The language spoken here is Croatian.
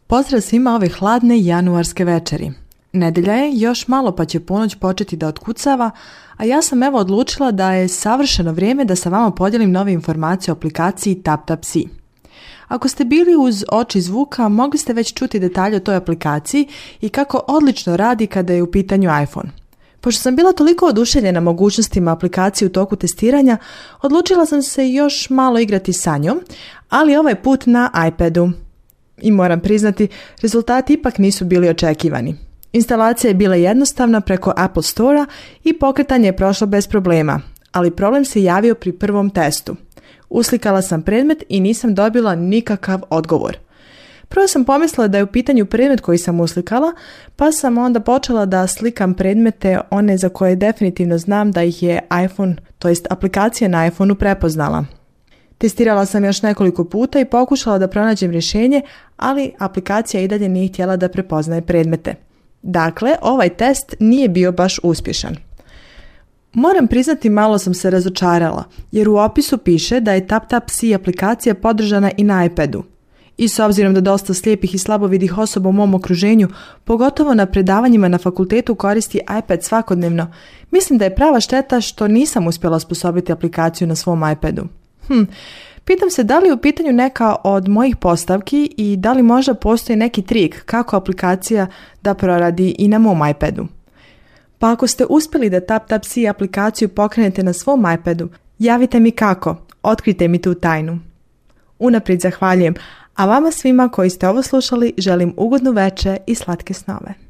Pozdrav svima ove hladne januarske večeri. Nedelja je, još malo pa će ponoć početi da otkucava, a ja sam evo odlučila da je savršeno vrijeme da sa vama podijelim nove informacije o aplikaciji TapTapSee. Ako ste bili uz oči zvuka, mogli ste već čuti detalje o toj aplikaciji i kako odlično radi kada je u pitanju iPhone. Pošto sam bila toliko oduševljena mogućnostima aplikacije u toku testiranja, odlučila sam se još malo igrati sa njom, ali ovaj put na iPadu. I moram priznati, rezultati ipak nisu bili očekivani. Instalacija je bila jednostavna preko Apple Store-a i pokretanje je prošlo bez problema, ali problem se javio pri prvom testu. Uslikala sam predmet i nisam dobila nikakav odgovor. Prvo sam pomislila da je u pitanju predmet koji sam uslikala, pa sam onda počela da slikam predmete, one za koje definitivno znam da ih je iPhone, to jest aplikacija na iPhoneu prepoznala. Testirala sam još nekoliko puta i pokušala da pronađem rješenje, ali aplikacija i dalje nije htjela da prepoznaje predmete. Dakle, ovaj test nije bio baš uspješan. Moram priznati, malo sam se razočarala, jer u opisu piše da je TapTapSee aplikacija podržana i na iPadu. I s obzirom da dosta slijepih i slabovidih osoba u mom okruženju, pogotovo na predavanjima na fakultetu koristi iPad svakodnevno, mislim da je prava šteta što nisam uspjela osposobiti aplikaciju na svom iPadu. Pitam se da li je u pitanju neka od mojih postavki i da li možda postoji neki trik kako aplikacija da proradi i na mom iPadu. Pa ako ste uspjeli da TapTapSee aplikaciju pokrenete na svom iPadu, javite mi kako, otkrijte mi tu tajnu. Unaprijed zahvaljujem, a vama svima koji ste ovo slušali želim ugodnu večer i slatke snove.